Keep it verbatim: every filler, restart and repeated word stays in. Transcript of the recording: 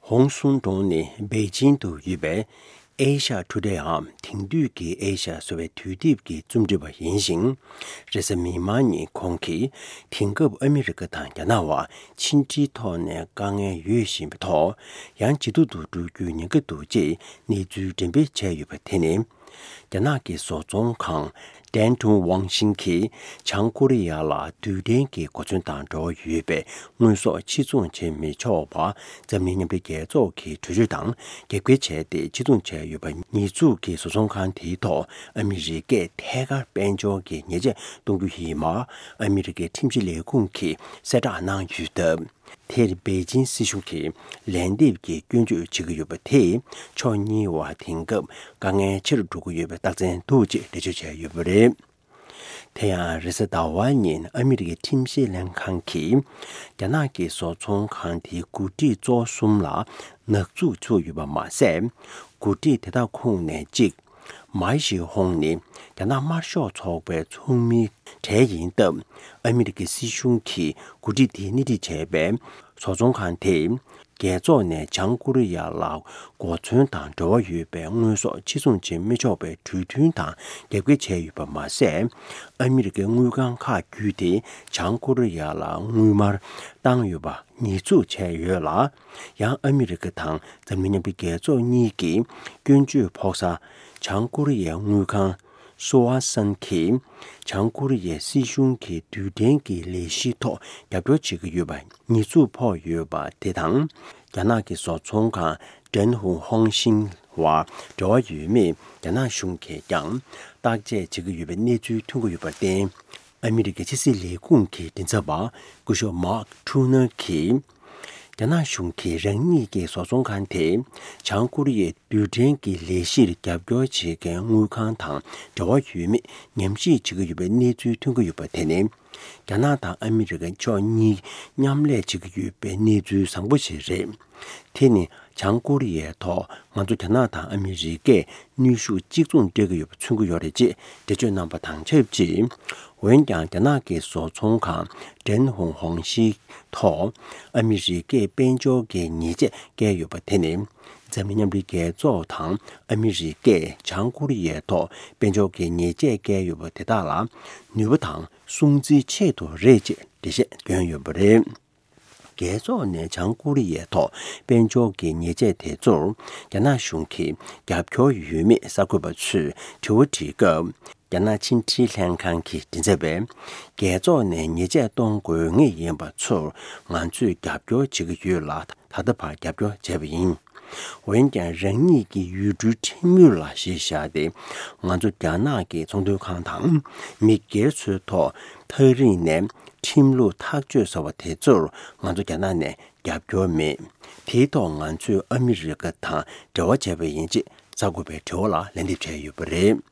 ཧོང་སུན་ཀྲུང་ནི་པེ་ཅིང་དུ་ཡོད་པའི་ཨེ་ཤ་ཊུ་ཌེ་འམ་དེང་དུས་ཀྱི་ཨེ་ཤ་ཟེར་བའི་དུས་དེབ་ཀྱི་རྩོམ་སྒྲིག་པ་ཡིན་ཞིང་། རེས་གཟའ་མིག་དམར་ཉིན་ཁོང་གིས་དེང་སྐབས་ཨ་མི་རི་ཀ་དང་རྒྱ་ནག་བར་ཕྱི་འབྲེལ་ཐོག་ནས་དཀའ་ངལ་ཡོད་བཞིན་པའི་ཐོག་ཡང་ཇེ་སྡུག་ཏུ་འགྲོ་རྒྱུའི་ཉེན་ཁ་འདུག་ཅེས་གནས་ཚུལ་འགྲེམས་སྤེལ་བྱས་ཡོད་པ་དེ་ནི། རྒྱ་ནག་གི་བཟོ་ཚོང་ཁང་ཏན་ཀྲུང་ཝང་ཤིང་གིས་བྱང་ཀོ་རི་ཡ་ལ་རྡུལ་ཕྲན་གྱི་གོ་མཚོན་དང་འབྲེལ་བ་ཡོད་པའི་དངོས་ཟོག་ཕྱིར་ཚོང་བྱེད་མི་ཆོག་པ་འཛམ་གླིང་མཉམ་འབྲེལ་རྒྱལ་ཚོགས་ཀྱི་གྲོས་ཆོད་དང་རྒྱབ་འགལ་བྱས་ཏེ་ཕྱིར་ཚོང་བྱས་ཡོད་པ་ཉེས་འཛུགས་ཀྱིས་བཟོ་ཚོང་ཁང་དེའི་ཐོག་ཨ་མི་རི་ཀས་ཐད་ཀར་དཔལ་འབྱོར་གྱི་ཉེས་ཆད་གཏོང་རྒྱུ་ཡིན་པ་ཨ་མི་རི་ཀའི་ཁྲིམས་ཞིབ་ལས་ཁུངས་ཀྱིས་གསལ་བསྒྲགས་གནང་ཡོད་སྟབས། དེར་པེ་ཅིན་སྲིད་གཞུང་གིས་ལན་འདེབས་ཀྱི་སྐྱོན་བརྗོད་བྱེད་ཀྱི་ཡོད་པ་དེས་ཕྱོགས་གཉིས་བར་དེང་སྐབས་དཀའ་ངལ་ཆེ་རུ་འགྲོ་གི་ཡོད་པའི་རྟགས་མཚན་འདུག་ཅེས་འགྲེལ་བརྗོད་བྱས་ཡོད་པ་རེད། དེ་ཡང་རེས་གཟའ་ཟླ་བ་ཉིན་ཨ་མི་རི་ཀའི་ཁྲིམས་བཤེར་ལྷན་ཁང་གིས་རྒྱ་ནག་གི་བཟོ་ཚོང་ཁང་དེའི་འགོ་ཁྲིད་གཙོ་བོ་གསུམ་ལ་ནག་འཛུགས་བཙུགས་ཡོད་པ་མ་ཟད། འགོ་ཁྲིད་དེ་དག་ཁོངས་ནས་གཅིག་མའེ་ཞི་ཧོང་ནི་རྒྱ་ནག་དམར་ཤོག་ཚོགས་པའི་ཚོགས་མིའི་གྲས་ཡིན་སྟབས། ཨ་མི་རི་ཀའི་སྲིད་གཞུང་གིས་འགོ་ཁྲིད་དེས་སྣེ་ཁྲིད་བྱས་པའི་བཟོ་ཚོང་ཁང་དེས་རྒྱལ་ཚོགས་ནས་བྱང་ཀོ་རི་ཡ་ལ་གོ་མཚོན་དང་འབྲེལ་བ་ཡོད་པའི་དངོས་ཟོག་ཕྱིར་ཚོང་བྱེད་མི་ཆོག་པའི་གྲོས་མཐུན་དང་རྒྱབ་འགལ་བྱས་ཡོད་པ་མ་ཟད། ཨ་མི་རི་ཀའི་དངུལ་ཁང་ཁག་བརྒྱུད་དེ་བྱང་ཀོ་རི་ཡ་ལ་དངུལ་སྨར་བཏང་ཡོད་པ་ཉེས་འཛུགས་བྱས་ཡོད་ལ། ཡང་ཨ་མི་རི་ཀ་དང་འཛམ་གླིང་མཉམ་འབྲེལ་རྒྱལ་ཚོགས་གཉིས་ཀྱིས་སྐྱོན་བརྗོད་ཕོག་ས་བྱང་ཀོ་རི་ཡའི་དངུལ་ཁང་སུ་ཝ་སན་གྱིས་བྱང་ཀོ་རི་ཡའི་སྲིད་གཞུང་གི་རྡུལ་ཕྲན་གྱི་ལས་གཞིའི་ཐོག་རྒྱབ་སྐྱོར་བྱེད་ཀྱི་ཡོད་པ་ཉེས་འཛུགས་ཕོག་ཡོད་པ་དེ་དང་། རྒྱ་ནག་གི་བཟོ་ཚོང་ཁང་ཀྲན་ཧུང་ཧོང་ཤིང་བར་འབྲེལ་བ་ཡོད་མེད་རྒྱ་ནག་གཞུང་གིས་ཀྱང་བརྟག་དཔྱད་བྱེད་ཀྱི་ཡོད་པའི་གནས་ཚུལ་ཐོན་གྱི་ཡོད་པར་བརྟེན། ཨ་མི་རི་ཀའི་ཕྱི་སྲིད་ལས་ཁུངས་ཀྱི་མགྲིན་ཚབ་པ་སྐུ་ཞབས་མཱག་ཁྲུ་ནར་གྱིས། རྒྱ་ནག་གཞུང་གིས་རང་ཉིད་ཀྱི་བཟོ་ཚོང་ཁང་དེ་བྱང་ཀོ་རི་ཡའི་རྡུལ་ཕྲན་གྱི་ལས་གཞིར་རྒྱབ་སྐྱོར་བྱེད་མཁན་དངུལ་ཁང་དང་འབྲེལ་བ་ཡོད་མེད་ཉམས་ཞིབ་བྱེད་ཀྱི་ཡོད་པའི་གནས་ཚུལ་ཐོན་གྱི་ཡོད་པ་དེ་ནི། རྒྱ་ནག་དང་ཨ་མི་རི་ཀ་ཕྱོགས་གཉིས་མཉམ་ལས་བྱེད་ཀྱི་ཡོད་པའི་གནས་ཚུལ་བཟང་པོ་ཞིག་རེད། དེ་ནི་བྱང་ཀོ་རི་ཡའི་ཐོག་ང་ཚོ་རྒྱ་ནག་དང་ཨ་མི་རི་ཀས་ནུས་ཤུགས་གཅིག་མཚུངས་སྤྲད་ཀྱི་ཡོད་པ་མཚོན་གྱི་ཡོད་རེད་ཅེས་འགྲེལ་བརྗོད་གནང་པ་དང་ཆབས་ཅིག་འོན་ཀྱང་རྒྱ་ནག་གི་བཟོ་ཚོང་ཁང་ཀྲན་ཧུང་ཧོང་ཤིང་ཐོག་ཨ་མི་རི་ཀས་དཔལ་འབྱོར་གྱི་ཉེས་ཆད་བཀལ་ཡོད་པ་དེ་ནི། འཛམ་གླིང་མཉམ་འབྲེལ་རྒྱལ་ཚོགས་དང་ཨ་མི་རི་ཀས་བྱང་ཀོ་རི་ཡའི་ཐོག་དཔལ་འབྱོར་གྱི་ཉེས་ཆད་བཀལ་ཡོད་པ་དེ་དག་ལ་ནུས་པ་དང་སྲུང་བརྩིའི་ཆེད་དུ་རེད་ཅེས་འགྲེལ་བཤད་བསྐྱོན་ཡོད་པ་རེད། རྒྱལ་ཚོགས་ནས་བྱང་ཀོ་རི་ཡའི་ཐོག་དཔལ་འབྱོར་གྱི་ཉེས་ཆད་དེ་ཚོར་རྒྱ་ནག་གཞུང་གིས་རྒྱབ་སྐྱོར་ཡོད་མེད་གསར་འགོད་པ་ཚོས་དྲི་བ་དྲིས་སྐབས། རྒྱ་ནག་ཕྱི་འབྲེལ་ལྷན་ཁང་གི་མགྲིན་ཚབ་པས། རྒྱལ་ཚོགས་ནས་ཉེས་ཆད་གཏོང་དགོས་ངེས་ཡིན་པ་ཚོར་ང་ཚོས་རྒྱབ་སྐྱོར་བྱེད་ཀྱི་ཡོད་ལ། ད་ལྟ་བར་རྒྱབ་སྐྱོར་བྱས་པ་ཡིན། འོན་ཀྱང་རང་ཉིད་ཀྱི་ཡུལ་གྲུའི་ཁྲིམས་ཡིག་ལ་གཞི་བཞག་སྟེ། ང་ཚོ་རྒྱ་ནག་གི་ཚོང་དོན་ཁང་དང་མི་སྒེར་ཚོའི་ཐོག་ཐག་རིང་ནས་ཁྲིམས་ལུགས་ཐག་གཅོད་ཟེར་བ་དེ་ཚོར་ང་ཚོ་རྒྱ་ནག་ནས་རྒྱབ་སྐྱོར་མེད། དེའི་ཐོག་ང་ཚོས་ཨ་མི་རི་ཀ་དང་འབྲེལ་བ་བྱས་པ་ཡིན་ཅེས་གསར་འགོད་པའི་དྲི་བ་ལ་ལན་འདེབས་བྱས་ཡོད་པ་རེད།